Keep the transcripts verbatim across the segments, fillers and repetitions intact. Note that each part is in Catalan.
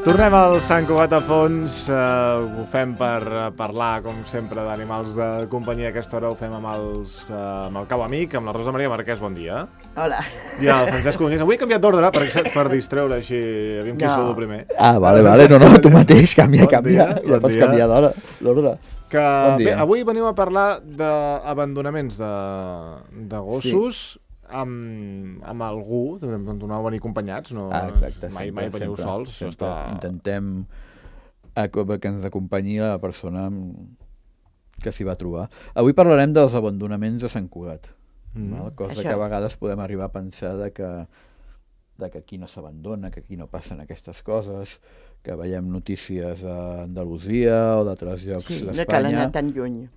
Tornem al Sant Cugat a fons, uh, ho fem per uh, parlar, com sempre, d'animals de companyia. Aquesta hora ho fem amb, els, uh, amb el cau amic, amb la Rosa Maria Marquès, bon dia. Hola. I el Francesc Codonís. Avui he canviat d'ordre per, per distreure així, aviam qui No. sou el primer. Ah, vale, vale, no, no, tu mateix, canvia, Bon canvia, dia, ja bon pots dia. canviar d'hora, l'ordre. Que, Bon dia. bé, avui veniu a parlar d'abandonaments de, de gossos sí. amb, amb algú, no a venir acompanyats, no, Ah, exacte, mai, sempre, mai veniu sempre, sols. Això sempre està... intentem a- que ens acompanyi la persona que s'hi va trobar. Avui parlarem dels abandonaments de Sant Cugat, Mm. val? Cosa Això. que a vegades podem arribar a pensar de que, de que aquí no s'abandona, que aquí no passen aquestes coses, que veiem notícies a Andalusia o d'altres llocs Sí, no cal d'Espanya, anar tan lluny.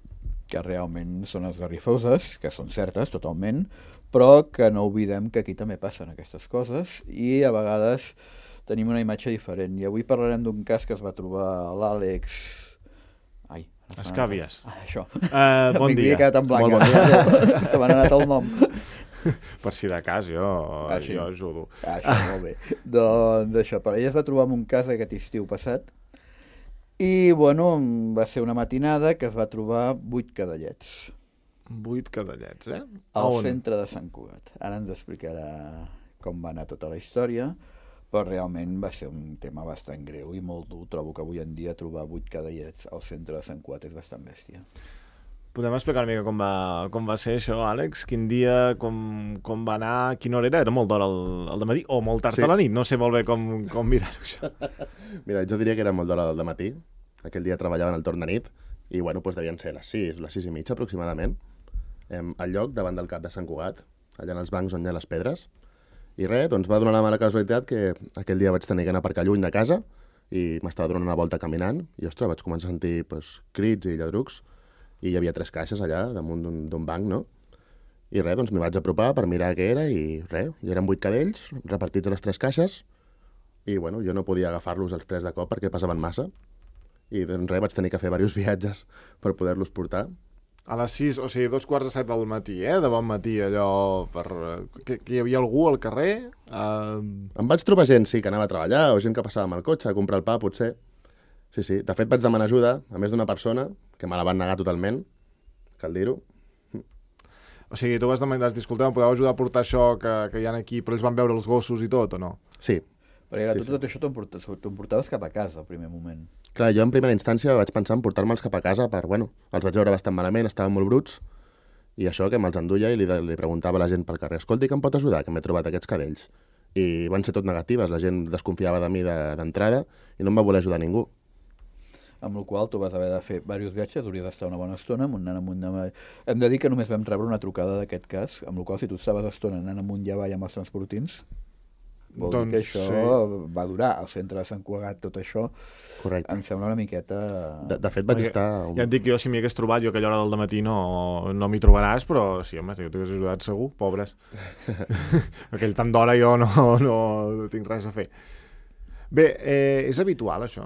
que realment són esgarrifoses, que són certes totalment, però que no oblidem que aquí també passen aquestes coses i a vegades tenim una imatge diferent. I avui parlarem d'un cas que es va trobar l'Àlex... Ai, ara se m'ha Escàbies. anat- Ah, això. Uh, bon M'havia dia. quedat en blanc. Molt bon dia. Se m'ha anat el nom. Per si de cas, jo, Ah, sí. jo ajudo. Ah, això, molt bé. Doncs això, per ella es va trobar en un cas aquest estiu passat i, bueno, va ser una matinada que es va trobar vuit cadellets Vuit cadellets, eh? A al on? centre de Sant Cugat. Ara ens explicarà com va anar tota la història, però realment va ser un tema bastant greu i molt dur. Trobo que avui en dia trobar vuit cadellets al centre de Sant Cugat és bastant bèstia. Podem explicar una mica com va, com va ser això, Àlex? Quin dia, com, com va anar, quina hora era? Era molt d'hora al, al dematí o molt tard Sí. a la nit? No sé molt bé com, com mirar-ho, això. Mira, jo diria que era molt d'hora del matí. Aquell dia treballaven al torn de nit i, bueno, doncs devien ser les sis, les sis i mitja aproximadament, em, al lloc davant del cap de Sant Cugat, allà en els bancs on hi ha les pedres. I res, doncs va donar la mala casualitat que aquell dia vaig tenir que anar a aparcar lluny de casa i m'estava donant una volta caminant i, ostres, vaig començar a sentir pues, crits i lladrucs i hi havia tres caixes allà damunt d'un d'un banc, no? I res, doncs m'hi vaig apropar per mirar què era i res, hi eren vuit cadells repartits a les tres caixes i, bueno, jo no podia agafar-los els tres de cop perquè pesaven massa i doncs res, vaig tenir que fer diversos viatges per poder-los portar. A les sis, o sigui, dos quarts de set del matí, eh? De bon matí, allò, per... Que, que hi havia algú al carrer? Uh... Em vaig trobar gent, sí, que anava a treballar o gent que passava amb el cotxe a comprar el pa, potser. Sí, sí. De fet, vaig demanar ajuda a més d'una persona que me la van negar totalment, cal dir-ho. O sigui, tu vas demanar, disculpeu, em podeu ajudar a portar això que, que hi ha aquí, però ells van veure els gossos i tot, o no? Sí. Perquè era, Sí, tu tot això t'ho porta- t'ho portaves cap a casa al primer moment. Clar, jo en primera instància vaig pensar en portar-me'ls cap a casa per, bueno, els vaig veure bastant malament, estaven molt bruts, i això que me'ls enduia i li, li preguntava a la gent pel carrer, escolti, que em pot ajudar, que m'he trobat aquests cadells. I van ser tot negatives, la gent desconfiava de mi de- d'entrada i no em va voler ajudar ningú. Amb la qual cosa tu vas haver de fer diversos viatges, hauries d'estar una bona estona amb un nan amunt de... Hem de dir que només vam rebre una trucada d'aquest cas, amb la qual cosa, si tu estaves estona anant amunt i avall amb els transportins, vol Doncs dir que això sí. va durar. Al centre de Sant Cugat, tot això, Correcte. em sembla una miqueta... De, de fet, vaig Perquè estar... Ja et dic que jo, si m'hi hagués trobat, jo a aquella hora del matí no, no m'hi trobaràs, però sí, home, si jo t'hagués ajudat segur, pobres. Aquell tant d'hora jo no, no, no tinc res a fer. Bé, eh, és habitual, això?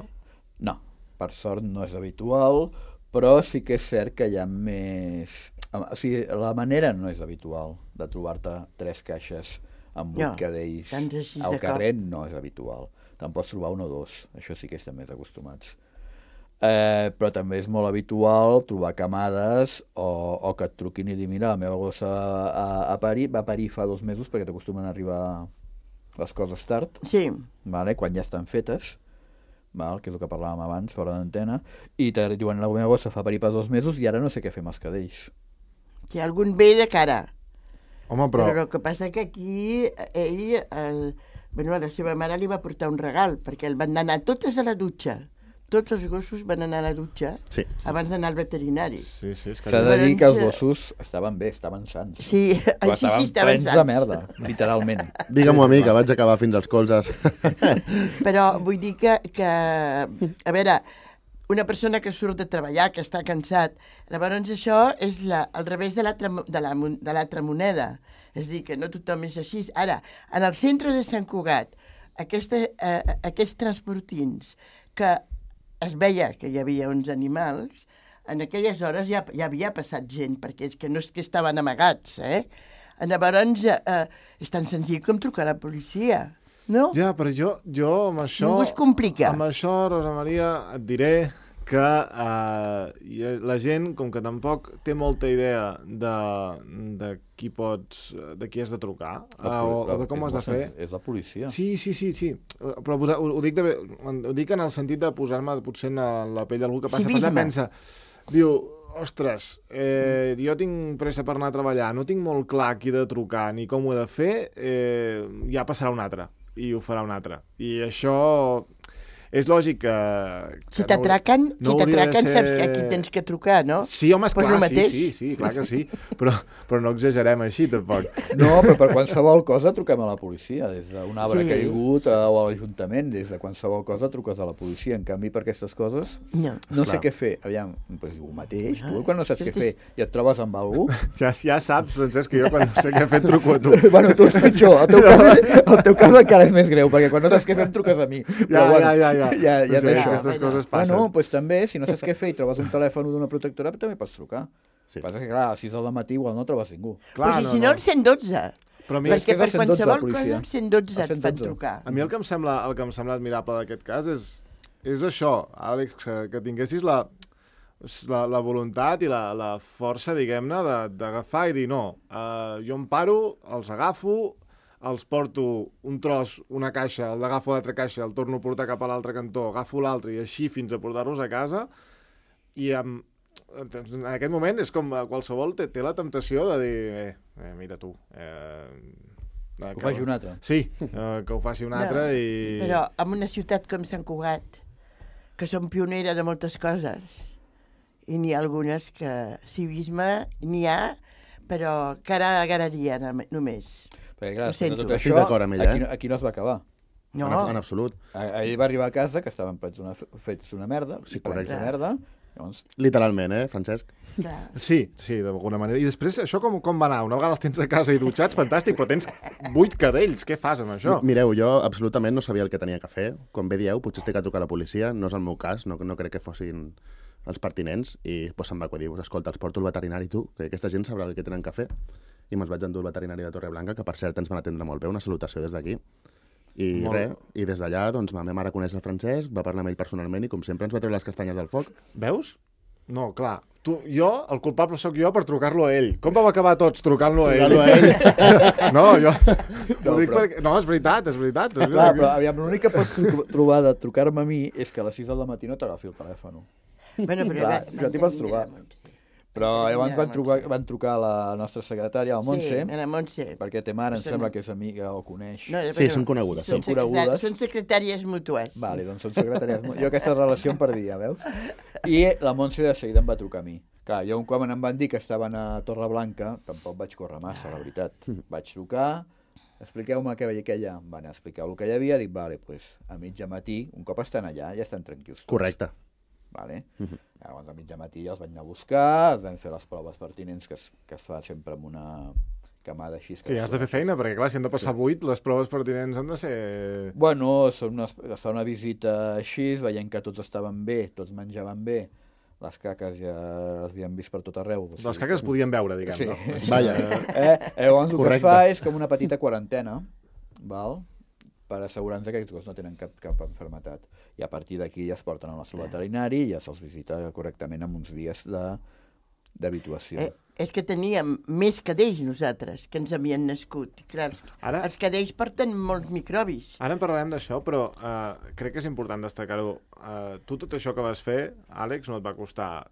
No, per sort no és habitual, però sí que és cert que hi ha més... O sigui, la manera no és habitual de trobar-te tres caixes amb vuit No, cadells tants així de al cop. carrer no és habitual. Te'n pots trobar un o dos, això sí que estem més acostumats. Eh, però també és molt habitual trobar camades o, o que et truquin i dir, mira, la meva gossa a, a parir, va parir fa dos mesos perquè t'acostumen a arribar les coses tard, Sí, vale? Quan ja estan fetes, val? Que és el que parlàvem abans, fora d'antena, i te diuen, la meva gossa fa parir per dos mesos i ara no sé què fer amb els cadells. si algun ve de cara. Home, però... Però el que passa que aquí ell, el, bueno, la seva mare li va portar un regal, perquè el van anar totes a la dutxa. Tots els gossos van anar a la dutxa Sí. abans d'anar al veterinari. Sí, sí, és que... S'ha de dir que els Llavors, gossos estaven bé, estaven sants. Sí, Però així sí estaven estaven plens de sants. merda, literalment. Digue-m'ho a mi, que vaig acabar fins als colzes. Però vull dir que, que, a veure, una persona que surt de treballar, que està cansat, llavors això és la, al revés de l'altra de la, de l'altra moneda. És a dir, que no tothom és així. Ara, en el centre de Sant Cugat, aquesta, eh, aquests transportins que es veia que hi havia uns animals, en aquelles hores ja, ja havia passat gent, perquè és que no és que estaven amagats, eh? Llavors, eh, és tan senzill com trucar a la policia. No? Ja, però jo, jo amb això... Ningú es complica. Amb això, Rosa Maria, et diré que uh, la gent, com que tampoc té molta idea de, de qui pots, de qui has de trucar, uh, o, o de com ho has de fer... És la policia. Sí, sí, sí, sí. Però ho, ho, dic de, ho dic en el sentit de posar-me potser en la pell d'algú que passa per allà, pensa, diu, ostres, eh, jo tinc pressa per anar a treballar, no tinc molt clar qui he de trucar ni com ho he de fer, eh, ja passarà un altre, i ho farà un altre. I això... És lògic que... que si t'atraquen, no, si no t'atraquen ser... saps a qui tens que trucar, no? Sí, home, pues esclar, sí, sí, sí, clar que sí, però, però no exagerem així, tampoc. No, però per qualsevol cosa truquem a la policia, des d'un arbre Sí. caigut a, o a l'Ajuntament, des de qualsevol cosa truques a la policia. En canvi, per aquestes coses, No. no sé Esclar. què fer. Aviam, doncs el mateix, tu Ah, quan no saps què fer i et trobes amb algú... Ja, ja saps, Francesc, que jo quan no sé què fer et truco a tu. Bueno, tu és pitjor, el teu, cas, el teu cas encara és més greu, perquè quan no saps què fer em truques a mi. Ja, Però, bueno, ja, ja, ja. ja, ja Sí, t'he- aquestes bueno. coses passen. Bueno, doncs també, si no saps què fer i trobes un telèfon d'una protectora, també pots trucar. Sí. El que passa és que, clar, a les sis del matí igual no trobes ningú. Clar, Pues, I si no, el cent dotze. Però a mi, Perquè és per el cent dotze, la qualsevol policia. cosa el cent dotze El et cent fan dotze. trucar. a mi el que em sembla, el que em sembla admirable d'aquest cas és, és això, Àlex, que, que tinguessis la, la, la voluntat i la, la força, diguem-ne, de- d'agafar i dir no, uh, jo em paro, els agafo, els porto un tros, una caixa, el agafo a l'altra caixa, el torno a portar cap a l'altre cantó, agafo l'altre i així fins a portar-los a casa, i amb, en aquest moment és com eh, qualsevol té, té la temptació de dir, eh, eh mira tu, eh, Ho faci un altre. Sí, eh, que ho faci un altre No, i... Però en una ciutat com Sant Cugat, que són pioneres de moltes coses, i n'hi ha algunes que civisme n'hi ha, però cara a galeria només. Perquè, clar, Ho sento. tot Estic això, d'acord amb ella, aquí, eh? no- aquí no es va acabar. No, En, en absolut. A- Ahir va arribar a casa, que estaven plens una, fets una merda, Sí, i plens correcte. de merda, llavors, Literalment, eh, Francesc? clar. Sí, sí, d'alguna manera. I després, això com, com va anar? Una vegada els tens a casa i dutxats, fantàstic, però tens vuit cadells. Què fas amb això? Mireu, jo absolutament no sabia el que tenia que fer. Com bé dieu, potser estic a trucar a la policia, no és el meu cas, no, no crec que fossin els pertinents, i pues, se'm va acudir, pues, escolta, els porto al veterinari tu, que aquesta gent sabrà el que tenen que fer. I me'ls vaig endur al veterinari de Torreblanca, que per cert ens van atendre molt bé, una salutació des d'aquí. I Molt res, bé. i des d'allà, doncs, ma meva mare coneix el Francesc, va parlar amb ell personalment i, com sempre, ens va treure les castanyes del foc. Veus? No, clar. Tu, jo, el culpable sóc jo per trucar-lo a ell. Com vam acabar tots trucant-lo a ell? Trucar-lo a ell. No, jo... No, No, dic però- perquè... no, és veritat, és veritat. És clar, veritat. però aviam, l'únic que pots tru- trobar de trucar-me a mi és que a les sis del matí no t'agafi el telèfon. Bueno, però Clar, va- això t'hi pots van trobar. tenir la Montse. Però Van llavors tenir la van, trucar, Montse. van trucar a la nostra secretària, la Montse, Sí, a la Montse. perquè té mare, em Són- sembla que és amiga o coneix. No, Sí, però són conegudes, Són, són conegudes. secretà- són secretàries mútues. Vale, doncs són secretàries. Jo aquesta relació em perdia, veus? I la Montse de seguida em va trucar a mi. Clar, jo quan em van dir que estaven a Torreblanca, tampoc vaig córrer massa, la veritat. Vaig trucar, expliqueu-me què veia aquella, em van explicar el que hi havia, dic, vale, pues, a mitja matí, un cop estan allà, ja estan tranquils. tots. Correcte. Vale? Llavors a mitja matí ja els vaig anar a buscar, es van fer les proves pertinents que es, que es fa sempre amb una camada així. Que ja has de fer feina, perquè clar, si han de passar vuit, les proves pertinents han de ser... Bueno, són una, es fa una visita així, veient que tots estaven bé, tots menjaven bé, les caques ja les havíem vist per tot arreu. o sigui, Les caques es podien veure, diguem, Sí. no? Vaja. Eh? Llavors el que es Correcte. fa és com una petita quarantena, val? Per assegurar-nos que aquests gossos no tenen cap, cap enfermetat. I a partir d'aquí ja es porten al nostre veterinari i ja se'ls visita correctament amb uns dies de- d'habituació. Eh, és que teníem més cadells nosaltres, que ens havien nascut. I clar, els, Ara- els cadells porten molts microbis. Ara en parlarem d'això, però uh, crec que és important destacar-ho. Uh, tu tot això que vas fer, Àlex, no et va costar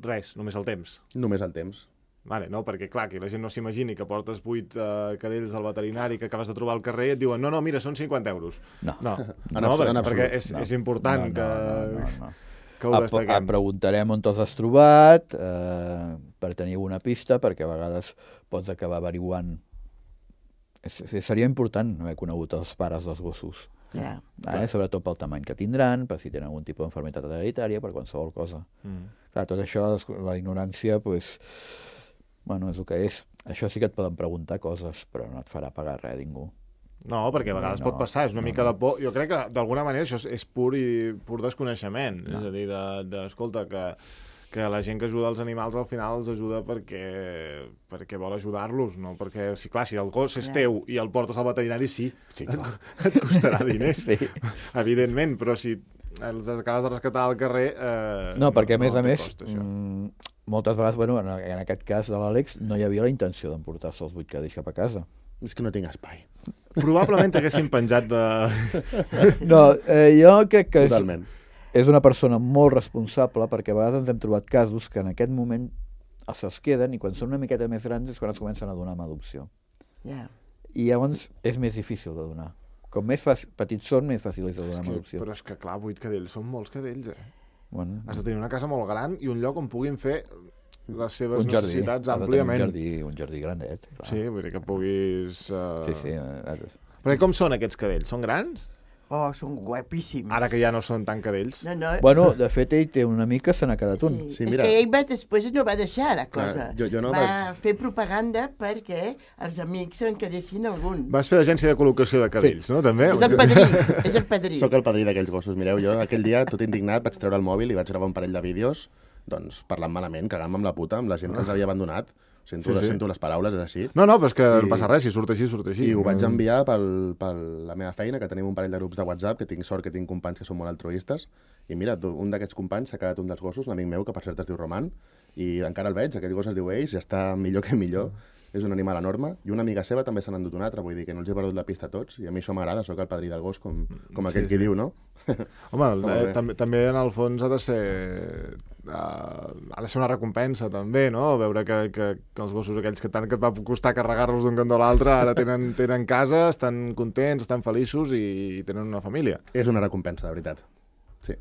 res, només el temps. Només el temps. Vale, no, perquè clar, que la gent no s'imagini que portes vuit uh, cadells al veterinari que acabes de trobar al carrer i et diuen no, no, mira, són cinquanta euros. No. No, En no, absolut, perquè, en perquè absolut. és, No. és important no, que, no, no, no. que ho Et destaquem. preguntarem on te'ls has trobat, eh, per tenir alguna pista, perquè a vegades pots acabar averiguant. És, és, seria important haver conegut els pares dels gossos, Ja. eh? Sobretot pel tamany que tindran, per si tenen algun tipus d'enfermitat hereditària, per qualsevol cosa. Mm. Clar, tot això, la ignorància, pues, bueno, és el que és. Això sí que et poden preguntar coses, però no et farà pagar res ningú. No, perquè a vegades No, pot passar, és una no, mica no. de por. Jo crec que d'alguna manera això és, és pur i pur desconeixement. No. És a dir, de, de, escolta, que, que la gent que ajuda els animals al final els ajuda perquè, perquè vol ajudar-los, no? Perquè, si, clar, si el gos és teu i el portes al veterinari, sí, Sí, et, clar. et costarà diners, Sí. evidentment, però si els acabes de rescatar al carrer... Eh, No, perquè a més no a té més, cost, això. mm, moltes vegades, bueno, en, en aquest cas de l'Àlex, no hi havia la intenció d'emportar-se els vuit cadells cap a casa. És que no tinc espai. Probablement haguessin penjat de... No, eh, jo crec que és, Totalment. és una persona molt responsable, perquè a vegades ens hem trobat casos que en aquest moment se'ls queden i quan són una miqueta més grans és quan es comencen a donar amb adopció. Ja. I llavors és més difícil de donar. Com més fàcil, petits són, més fàcil és de donar És amb que, adopció. però és que, clar, vuit cadells són molts cadells, eh? Bueno, Has de tenir una casa molt gran i un lloc on puguin fer les seves un jardí, necessitats ha de tenir àmpliament. un jardí, un jardí grandet. Clar. Sí, vull dir que puguis... Uh... sí, sí. eh, Perquè com són aquests cadells? Són grans? Oh, són guapíssims. Ara que ja no són tan cadells. No, no. Bueno, de fet, ell té un amic que se n'ha quedat un. Sí. Sí, és mira. que ell va, després no va deixar la Clar, cosa. jo- jo no va vaig- fer propaganda perquè els amics se'n quedessin algun. Vas fer l'agència de col·locació de cadells, no? També? És el padrí, és el padrí. Soc el padrí d'aquells gossos. Mireu, jo aquell dia, tot indignat, vaig treure el mòbil i vaig gravar un parell de vídeos doncs, parlant malament, cagant-me amb la puta, amb la gent que els havia abandonat. Sento, Sí, sí. sento les paraules, és així. No, no, però és que I- no passa res, si surt així, surt així. I ho vaig enviar per la meva feina, que tenim un parell de grups de WhatsApp, que tinc sort que tinc companys que són molt altruistes, i mira, tu- un d'aquests companys s'ha quedat un dels gossos, un amic meu, que per cert es diu Roman, i encara el veig, aquell gos es diu Eix, ja està millor que millor, és un animal enorme, i una amiga seva també se n'ha endut un altre, vull dir que no els he perdut la pista a tots, i a mi això m'agrada, sóc el padrí del gos, com, com aquell Sí, qui diu, no? Home, Molt eh, bé. també, també en el fons ha de ser... Uh, ha de ser una recompensa, també, no? Veure que, que, que els gossos aquells que tant que et va costar carregar-los d'un cantó a l'altre ara tenen, tenen casa, estan contents, estan feliços i tenen una família. És una recompensa, de veritat. Sí.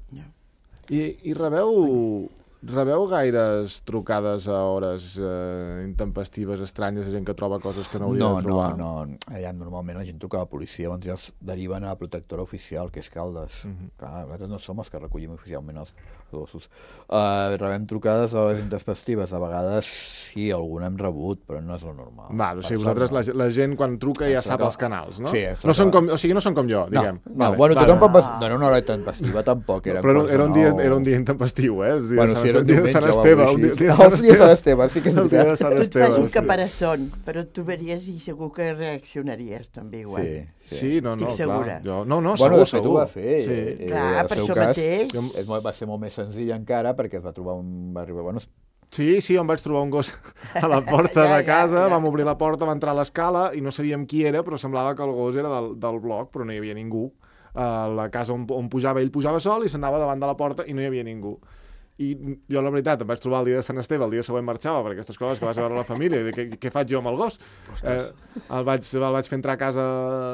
I, i rebeu, rebeu gaires trucades a hores eh, intempestives, estranyes, de gent que troba coses que no hauria No, de no, trobar? no. Allà normalment la gent truca a la policia, llavors ja els deriven a la protectora oficial, que és Caldes. Mhm. Clar, nosaltres no som els que recollim oficialment els gossos. Uh, rebem trucades a les intempestives, a vegades sí, alguna hem rebut, però no és lo normal. Val, o sigui, Per vosaltres, sort, la, la gent quan truca ja Això sap que- els canals, no? Sí, això no són que- com, o sigui, no són com jo, no. diguem. No, Vale, bueno, vale. tothom pot pas... no era una hora intempestiva tampoc, era Però era, cosa era, un dia, nou. era un dia intempestiu, eh? El dia Bueno, de si era un Sant- dia de diumenge Sant o Esteve. alguna Un dia, cosa dia de així. Sant El dia de Sant Esteve. Esteve, sí que és El dia de veritat. Sant Tu et Esteve. fas un sí. caparazón, però tu veuries i segur que reaccionaries també igual. Sí, sí. Sí, no, no, Estic clar. segura. Jo, no, no, Bueno, segur, de fet segur. ho va fer. Sí. eh, Clar, al per seu això cas, mateix. És molt, va ser molt més senzill encara perquè es va trobar un... Va arribar, bueno, Sí, sí, em vaig trobar un gos a la porta Ja, de ja, casa, ja. vam obrir la porta, va entrar a l'escala i no sabíem qui era, però semblava que el gos era del, del bloc, però no hi havia ningú. A la casa on, on pujava, ell pujava sol i s'anava davant de la porta i no hi havia ningú. I jo, la veritat, em vaig trobar el dia de Sant Esteve, el dia següent marxava, per aquestes coses que vas a veure la família, i dic, què, què faig jo amb el gos? Eh, el, vaig, el vaig fer entrar a casa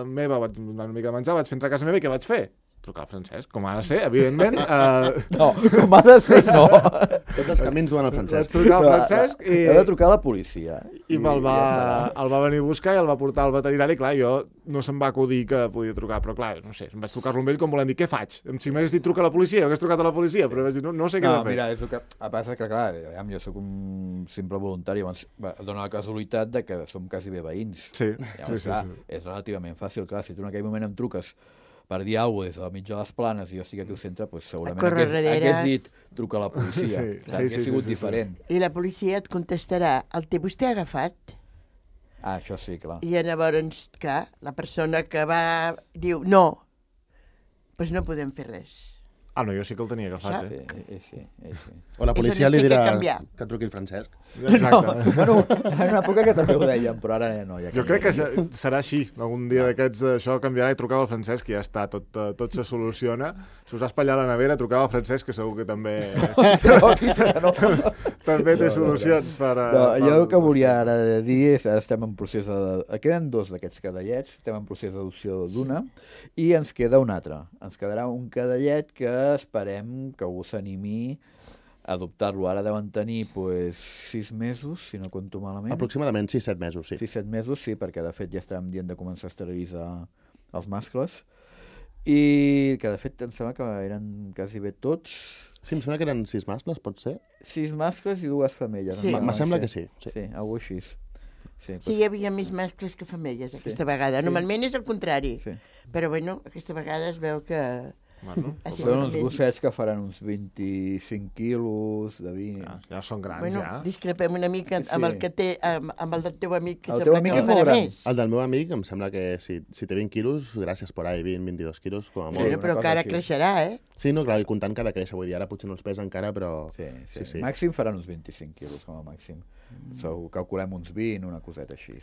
meva, vaig donar una mica de menjar, vaig fer entrar a casa meva i què vaig fer? Trucar al Francesc, com ha de ser, evidentment. Eh, no, com ha de ser, no. Tots els camins duen al vaig Francesc. trucar al Francesc i... He de trucar a la policia. I me'l va, ja el va venir a buscar i el va portar al veterinari. Clar, jo no se'm va acudir que podia trucar, però clar, no sé, em vaig trucar-lo amb ell com volent dir, què faig? Si m'hagués dit truca a la policia, jo hagués trucat a la policia, però vaig dir, no, no sé què No, he de fer. mira, és el que a passa que, clar, aviam, jo sóc un simple voluntari, llavors va, dona la casualitat de que som quasi bé veïns. Sí, Llavors, sí, sí, clar, sí. és relativament fàcil, clar, si tu en aquell moment em truques per dir alguna cosa des del mig de les planes i jo estic aquí al centre, doncs segurament córrer hagués, darrere. hagués dit truca a la policia. Sí, Clar, sí, hagués sí, sigut sí, sí, sí. diferent. I la policia et contestarà, el té vostè agafat? Ah, això sí, clar. I llavors, clar, la persona que va diu no, doncs no podem fer res. Ah, no, jo sí que el tenia agafat, Sí, eh? eh, sí, eh, sí. O la Això policia ens li té que dirà canviar. que truqui el Francesc. Exacte. No, bueno, en una època que també ho dèiem, però ara ja no. Ja Jo crec que se- serà així. Algun dia d'aquests això canviarà i trucava al Francesc, que ja està, tot, eh, tot se soluciona. Si us ha espatllat la nevera, trucava al Francesc, que segur que també, no, aquí serà, no. també té No, no, no. solucions per... eh, No, jo el per- que volia ara dir és, ara estem en procés de... Queden dos d'aquests cadellets, estem en procés d'adopció d'una, i ens queda un altre. Ens quedarà un cadellet que esperem que algú s'animi a adoptar-lo. Ara deuen tenir pues, sis mesos, si no compto malament. Aproximadament sis set mesos, sí. sis set mesos, sí, perquè de fet ja estàvem dient de començar a esterilitzar els mascles. I que de fet em sembla que eren quasi bé tots. Sí, em sembla que eren sis mascles, pot ser? Sis mascles i dues femelles. Sí. em Me sembla que ser. sí, sí. Sí, alguna així. Sí, Sí, hi havia més mascles que femelles aquesta Sí. vegada. Sí. Normalment és el contrari. sí. Però bueno, aquesta vegada es veu que... Bueno, Així Són que uns més- gossets que faran uns vint-i-cinc quilos de vint. ja, ja són grans, Bueno, ja. discrepem una mica amb Sí. el que té, amb, amb el del teu amic, que El teu sembla amic que és en molt farà gran. més. El del meu amic em sembla que si, si té vint quilos, gràcies por ahí, vint, vint-i-dos quilos, com a Sí, molt. Bueno, una però cosa que ara així. creixerà, eh? Sí, no, clar, i comptant que ha de créixer, vull dir, ara potser no els pesa encara, però... Sí, sí. Sí, sí. Màxim faran uns vint-i-cinc quilos, com a màxim. Mm. Segur, calculem uns vint, una coseta així.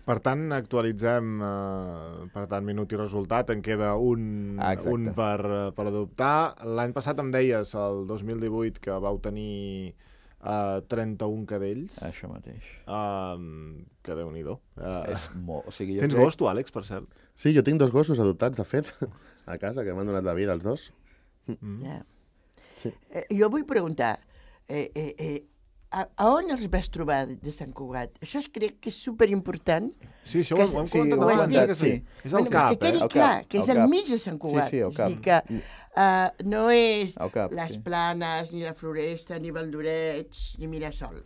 Per tant, actualitzem, eh, per tant, minut i resultat. En queda un, Ah, exacte. un per, eh, per adoptar. L'any passat em deies, el dos mil divuit, que vau tenir eh, trenta-un cadells. Això mateix. Eh, que Déu-n'hi-do. Eh, És molt... O sigui, jo tens crec... gos, tu, Àlex, per cert? Sí, jo tinc dos gossos adoptats, de fet, a casa, que m'han donat la vida, els dos. Mm. Ja. Sí. Eh, jo vull preguntar, eh, eh, eh, a, a on els vas trobar de Sant Cugat? Això es crec que és superimportant. Sí, això Que ho, ho hem sí, comentat ho molt hem abans, eh, comentat, que sí. sí. És el Bueno, cap, que quedi eh? El clar, cap, que és el al cap. mig de Sant Cugat. sí, el És a dir, cap. que uh, no és El cap, les sí. Planes, ni la Floresta, ni Valdoreig, ni Mirasol.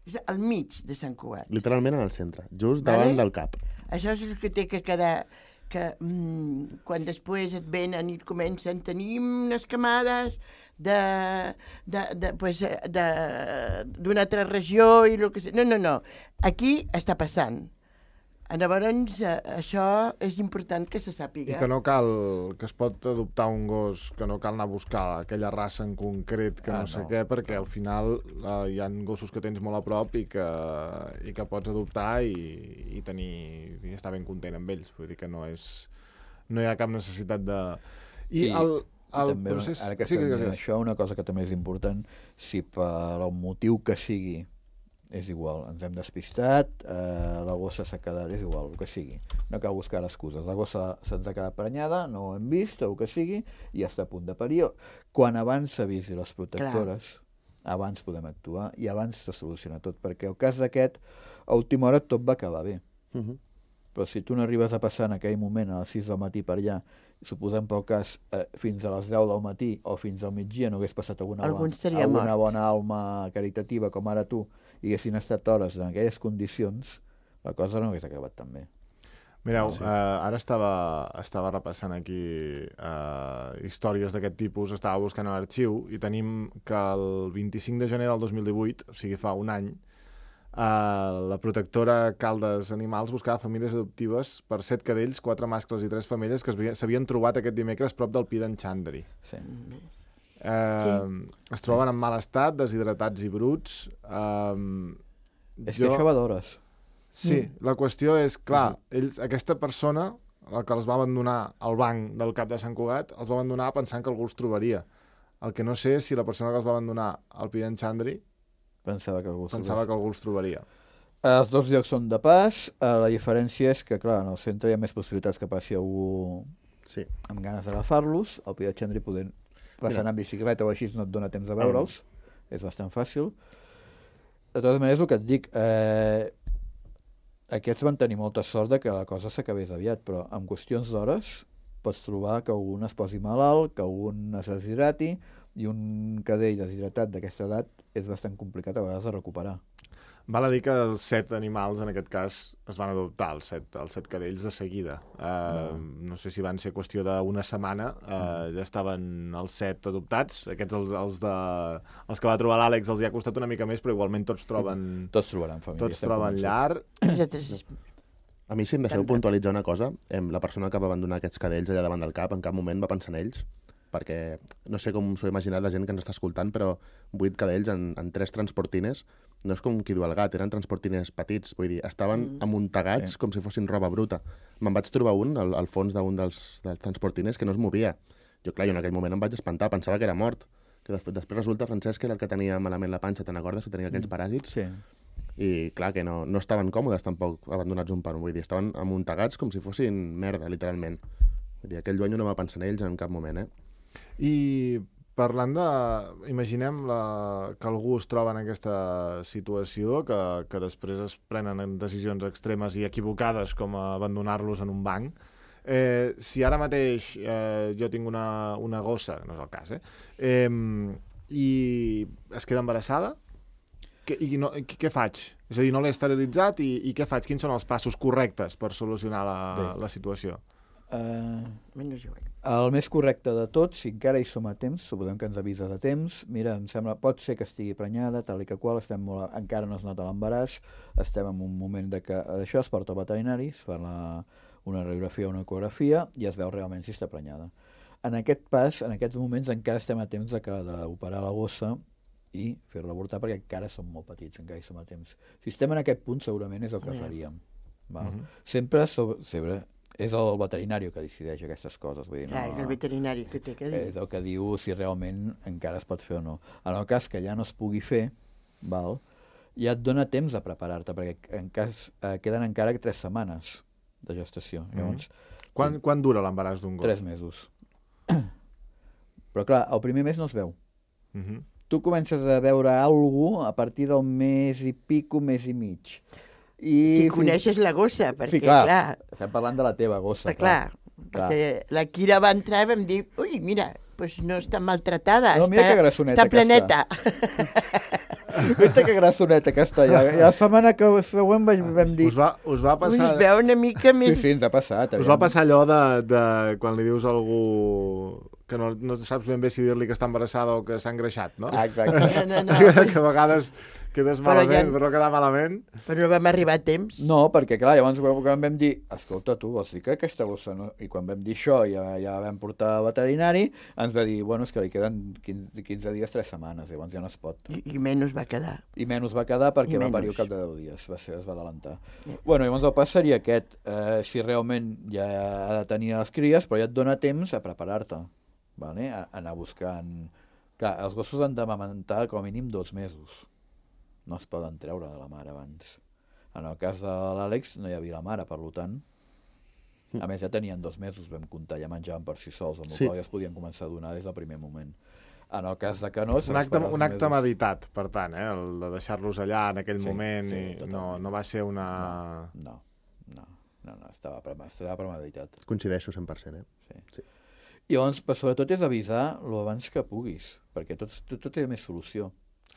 És al mig de Sant Cugat. Literalment en el centre, just Vale. davant del cap. Això és el que té que quedar, que mm, quan després et venen i et comencen, tenim unes camades de, de, de, pues, de, d'una altra regió i el que sé. No, no, no. Aquí està passant. Llavors, eh, això és important que se I sàpiga. que no cal, que es pot adoptar un gos, que no cal anar a buscar aquella raça en concret, que Ah, no sé no. què, perquè al final eh, hi ha gossos que tens molt a prop i que, i que pots adoptar i, i tenir i estar ben content amb ells. Vull dir que no és no hi ha cap necessitat de... I, I- el, I el també, procés... ara que sí, estem que, dient que, això, una cosa que també és important, si per el motiu que sigui, és igual, ens hem despistat, eh, la gossa s'ha quedat, és igual, el que sigui. No cal buscar excuses. La gossa se'ns ha quedat prenyada, no ho hem vist, o el que sigui, i ja està a punt de parir. Quan abans s'avisi les protectores, Clar. abans podem actuar i abans se soluciona tot, perquè el cas d'aquest, a última hora tot va acabar bé. Uh -huh. Però si tu no arribes a passar en aquell moment a les sis del matí per allà, suposem pel cas eh, fins a les deu del matí o fins al migdia no hagués passat alguna, Algun bona, seria alguna mort. bona alma caritativa com ara tu i haguessin estat hores en aquelles condicions, la cosa no hagués acabat tan bé. Mireu, Sí. sí. uh, ara estava, estava repassant aquí uh, històries d'aquest tipus, estava buscant a l'arxiu i tenim que el vint-i-cinc de gener del dos mil divuit, o sigui fa un any, uh, la protectora Caldes Animals buscava famílies adoptives per set cadells, quatre mascles i tres femelles que es havia- s'havien trobat aquest dimecres prop del Pi d'en Xandri. Sí. Uh, es troben en mal estat, deshidratats i bruts. Uh, És que això va d'hores. Sí, la qüestió és, clar, ells, aquesta persona, la que els va abandonar al banc del cap de Sant Cugat, els va abandonar pensant que algú els trobaria. El que no sé és si la persona que els va abandonar al Pi d'en Xandri Pensava que algú pensava que algú els trobaria. Els dos llocs són de pas, eh, la diferència és que, clar, en el centre hi ha més possibilitats que passi algú Sí. amb ganes d'agafar-los, al Pi de Xandri podent passar Mira. en bicicleta o així no et dona temps de veure'ls, és bastant fàcil. De totes maneres, el que et dic, eh, aquests van tenir molta sort de que la cosa s'acabés aviat, però en qüestions d'hores pots trobar que algun es posi malalt, que algun es deshidrati, i un cadell deshidratat d'aquesta edat és bastant complicat a vegades de recuperar. Val a dir que els set animals, en aquest cas, es van adoptar, els set, els set cadells, de seguida. Uh, no. no sé si van ser qüestió d'una setmana, uh, ja estaven els set adoptats. Aquests, els, els, de, els que va trobar l'Àlex, els hi ha costat una mica més, però igualment tots troben, Tots trobaran família. tots estem troben convençuts. llar. Nosaltres, A mi, si em deixeu Tant, tant. puntualitzar una cosa, em, la persona que va abandonar aquests cadells allà davant del cap en cap moment va pensar en ells, perquè no sé com s'ho ha imaginat la gent que ens està escoltant, però vuit cadells en, en tres transportines, no és com qui du el gat, eren transportines petits, vull dir, estaven mm. amuntegats Sí. com si fossin roba bruta. Me'n vaig trobar un al, al fons d'un dels, dels transportines que no es movia. Jo, clar, jo en aquell moment em vaig espantar, pensava que era mort. Que després, després resulta, Francesc, que era el que tenia malament la panxa, te'n recordes? Que tenia aquells paràsits. Sí. I clar, que no, no estaven còmodes tampoc abandonats un per un, vull dir, estaven amuntegats com si fossin merda, literalment. Vull dir, aquell duenyo no va pensar en ells en cap moment, eh? I parlant de... Imaginem la, que algú es troba en aquesta situació, que, que després es prenen decisions extremes i equivocades com abandonar-los en un banc. Eh, si ara mateix eh, jo tinc una, una gossa, no és el cas, eh? eh i es queda embarassada, que, i no, què, què faig? És a dir, no l'he esterilitzat i, i què faig? Quins són els passos correctes per solucionar la, Bé. la situació? Uh, menys jo. el més correcte de tot, si encara hi som a temps, suposem que ens avisa de temps, mira, em sembla, pot ser que estigui prenyada, tal i que qual, estem molt, encara no es nota l'embaràs, estem en un moment de que això es porta al veterinari, es fa la, una radiografia o una ecografia i es veu realment si està prenyada. En aquest pas, en aquests moments, encara estem a temps de que d'operar la gossa i fer-la avortar perquè encara som molt petits, encara hi som a temps. Si estem en aquest punt, segurament és el que faríem. Val? Uh-huh. Sempre, sobre, sempre és el veterinari que decideix aquestes coses. Vull dir, Clar, no, és el veterinari que té que dir. És el que diu si realment encara es pot fer o no. En el cas que ja no es pugui fer, val, ja et dona temps a preparar-te, perquè en cas, eh, queden encara tres setmanes de gestació. Mm-hmm. Llavors, Quan, quan dura l'embaràs d'un gos? tres mesos. Però clar, el primer mes no es veu. Mm-hmm. Tu comences a veure alguna cosa a partir del mes i pico, mes i mig. I Si coneixes la gossa, perquè, sí, clar, clar, estem parlant de la teva gossa. clar, clar, clar. perquè la Kira va entrar i vam dir, ui, mira, pues no està maltratada, No, mira està, que grassoneta està que planeta. Viste que grassoneta que està. Ja, ja la setmana que següent vam, vam dir... Us va, us va Ui, passar... es veu una mica Sí, més... sí, ens ha passat. Us va passar allò de, de quan li dius a algú que no, no saps ben bé si dir-li que està embarassada o que s'ha engreixat, no? Ah, exacte. No, no, no, que, pues, que a vegades quedes Però malament, ja- però quedar malament. però no vam arribar a temps. No, perquè clar, llavors quan vam dir, escolta tu, vols dir que aquesta gossa no... I quan vam dir això, ja, ja vam portar al veterinari, ens va dir, bueno, és que li queden quinze, quinze dies, tres setmanes, llavors ja no es pot. I, i menys va quedar. I menys va quedar perquè I va parir menys. al cap de deu dies, va ser, es va adelantar. Ja. Bueno, llavors el pas seria aquest, eh, si realment ja ha de tenir les cries, però ja et dona temps a preparar-te, vale? a, a anar buscant... Clar, els gossos han d'amamentar com a mínim dos mesos. No es poden treure de la mare abans. En el cas de l'Àlex no hi havia la mare, per tant, a més ja tenien dos mesos, vam comptar, ja menjaven per si sols, amb Sí. el qual ja es podien començar a donar des del primer moment. En el cas de que no... Un acte, un acte meditat, per tant, eh? El de deixar-los allà en aquell Sí, moment sí, i no, totalment. no va ser una... No, no, no, no estava, pre estava premeditat. Coincideixo cent per cent, eh? Sí. I llavors, però sobretot és avisar lo abans que puguis, perquè tot, tot, tot té més solució.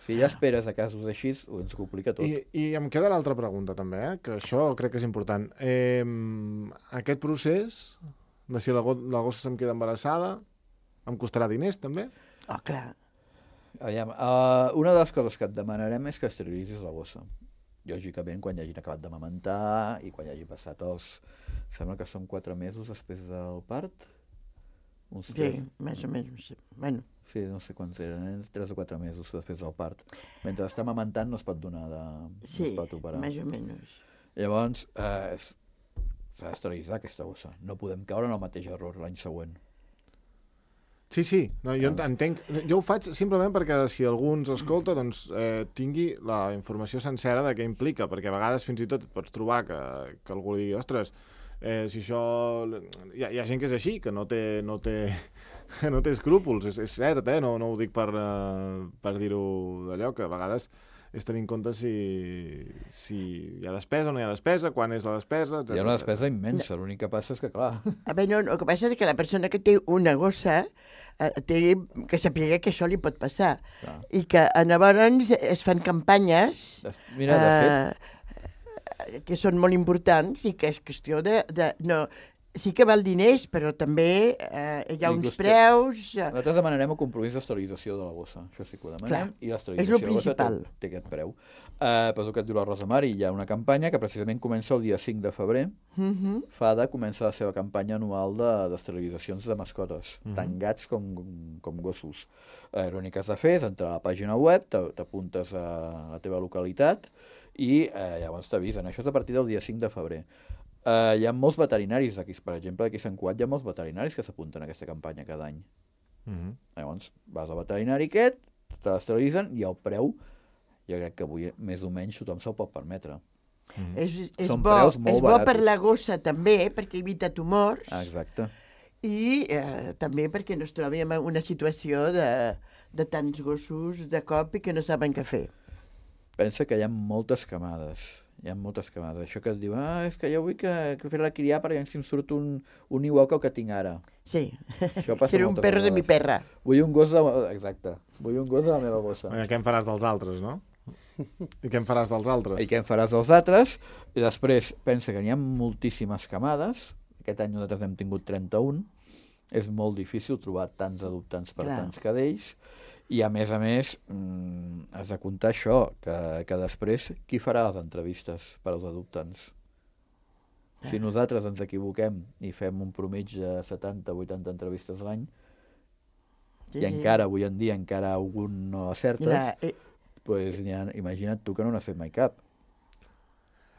Si ja esperes a casos així, ho ens complica tot. I, I em queda l'altra pregunta també, eh? Que això crec que és important. Eh, aquest procés de si la, go la gossa se'm queda embarassada em costarà diners també? Oh, clar. Aviam, uh, una de les coses que et demanarem és que esterilitzis la gossa. Lògicament, quan ja hagin acabat d'amamentar i quan ja hagi passat els... Sembla que són quatre mesos després del part. Uns Sí, tres... més o menys. Bueno, Sí, no sé quants eren, eren tres o quatre mesos després del part. Mentre està amamentant no es pot donar de... sí, no es pot operar. més o menys. Llavors, eh, és- s'ha d'esterilitzar aquesta gossa. No podem caure en el mateix error l'any següent. Sí, sí, no, jo ent- entenc. Jo ho faig simplement perquè si algú ens escolta doncs, eh, tingui la informació sencera de què implica, perquè a vegades fins i tot et pots trobar que, que algú digui, ostres, eh, si això... Hi ha, hi ha gent que és així, que no té, no té, que no té escrúpols, és, és cert, eh? no, no ho dic per, uh, per dir-ho d'allò, que a vegades és tenir en compte si, si hi ha despesa o no hi ha despesa, quan és la despesa, etcètera. Hi ha una despesa immensa, l'únic que passa és que, clar, A veure, no, el que passa és que la persona que té una gossa eh, té que saber que això li pot passar. clar. I que eh, llavors es fan campanyes Des- Mira, de fet, eh, que són molt importants i que és qüestió de... de no, sí que val diners, però també eh, hi ha I uns costa- preus... Eh, nosaltres demanarem el compromís d'esterilització de la gossa, això sí que ho demanem, Clar, i és l'esterilització lo de la gossa té, principal. té aquest preu. Uh, però el que et diu la Rosa Mari, hi ha una campanya que precisament comença el dia cinc de febrer. uh -huh. FADA comença la seva campanya anual de- d'esterilitzacions de, de mascotes, Mhm. tant gats com, com gossos. Eh, L'únic que has de fer és entrar a la pàgina web, t'a- t'apuntes a la teva localitat i eh, llavors t'avisen. Això és a partir del dia cinc de febrer. Eh, hi ha molts veterinaris aquí, per exemple, aquí a Sant Cugat hi ha molts veterinaris que s'apunten a aquesta campanya cada any. Mhm. Llavors vas al veterinari aquest, te l'esterilitzen i el preu, jo crec que avui més o menys tothom se'l pot permetre. Mhm. És, és, Són bo, preus molt és bo per baratos. la gossa també, perquè evita tumors, Ah, exacte. i eh, també perquè no es trobi en una situació de, de tants gossos de cop i que no saben què fer. Pensa que hi ha moltes camades. Hi ha moltes camades. Això que et diu, ah, és que jo vull que, que fer-la criar perquè si em surt un, un igual que el que tinc ara. Sí, Això passa era un moltes perro de mi vegades. perra. Vull un gos de... Exacte. Vull un gos de la meva gossa. Eh, Què em faràs dels altres, no? I què em faràs dels altres? I què en faràs dels altres? I després pensa que n'hi ha moltíssimes camades. Aquest any nosaltres hem tingut trenta-un. és molt difícil trobar tants adoptants per Clar. tants cadells, i a més a més mmm, has de comptar això, que, que després qui farà les entrevistes per als adoptants? Si nosaltres ens equivoquem i fem un promig de setanta o vuitanta entrevistes l'any, Sí, i encara, avui en dia, encara algun no acertes, Mira, eh, pues, ha, imagina't tu que no n'has fet mai cap.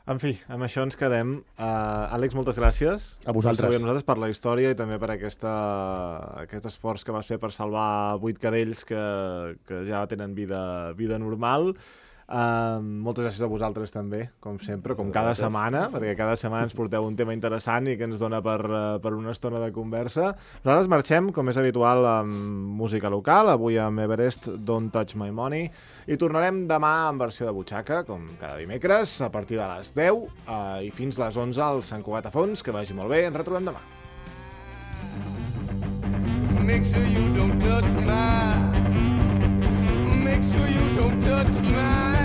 En fi, amb això ens quedem. Uh, Àlex, moltes gràcies. A vosaltres. Per ser avui amb nosaltres, per la història i també per aquesta, aquest esforç que vas fer per salvar vuit cadells que, que ja tenen vida, vida normal. Uh, moltes gràcies a vosaltres també, com sempre, com cada setmana, perquè cada setmana ens porteu un tema interessant i que ens dona per, uh, per una estona de conversa. Nosaltres marxem, com és habitual, amb música local, avui amb Everest, Don't Touch My Money, i tornarem demà en versió de butxaca, com cada dimecres, a partir de les deu uh, i fins les onze al Sant Cugat a Fons. Que vagi molt bé, ens retrobem demà. Make sure you don't touch my. Make sure you don't touch my.